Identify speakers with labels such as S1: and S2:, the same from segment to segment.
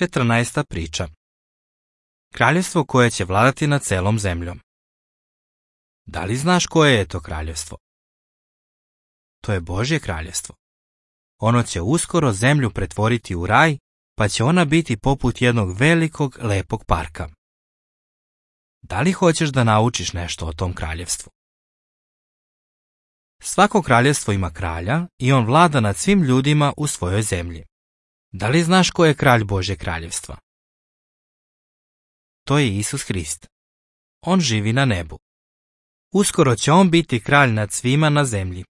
S1: 14. priča. Kraljevstvo koje će vladati nad celom zemljom. Da li znaš koje je to kraljevstvo? To je Božje kraljevstvo. Ono će uskoro zemlju pretvoriti u raj, pa će ona biti poput jednog velikog, lepog parka. Da li hoćeš da naučiš nešto o tom kraljevstvu? Svako kraljevstvo ima kralja i on vlada nad svim ljudima u svojoj zemlji. Da li znaš ko je kralj Božje kraljevstva? To je Isus Hrist. On živi na nebu. Uskoro će on biti kralj nad svima na zemlji.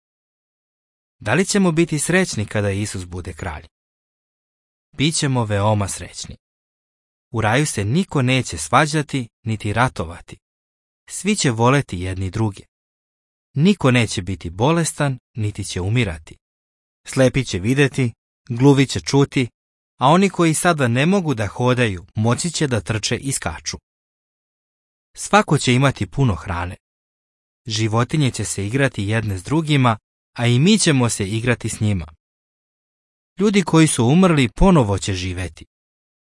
S1: Da li ćemo biti srećni kada Isus bude kralj? Bićemo veoma srećni. U raju se niko neće svađati niti ratovati. Svi će voleti jedni druge. Niko neće biti bolestan niti će umirati. Slepi će vidjeti, gluvi će čuti, a oni koji sada ne mogu da hodaju moći će da trče i skaču. Svako će imati puno hrane. Životinje će se igrati jedne s drugima, a i mi ćemo se igrati s njima. Ljudi koji su umrli ponovo će živeti.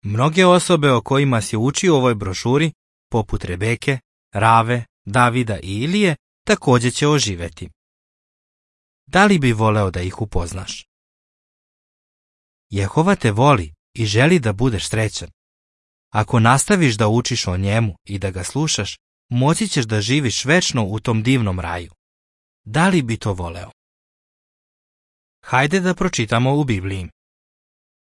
S1: Mnoge osobe o kojima si učio u ovoj brošuri, poput Rebeke, Rave, Davida i Ilije, također će oživeti. Da li bi voleo da ih upoznaš? Jehova te voli i želi da budeš srećan. Ako nastaviš da učiš o njemu i da ga slušaš, moći ćeš da živiš večno u tom divnom raju. Da li bi to voleo? Hajde da pročitamo u Bibliji.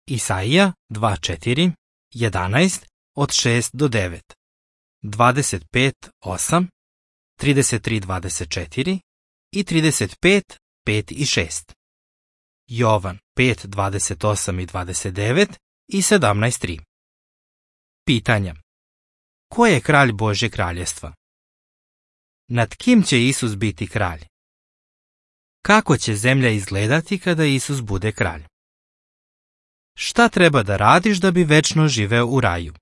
S1: Isaija 2:4, 11, od 6 do 9, 25:8, 33:24 i 35:5 i 6. Jovan 5:28 i 29 i 17:3. Pitanja. Ko je kralj Božje kraljevstva? Nad kim će Isus biti kralj? Kako će zemlja izgledati kada Isus bude kralj? Šta treba da radiš da bi večno živeo u raju?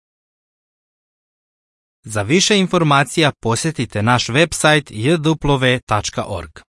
S1: Za više informacija posjetite naš website jw.org.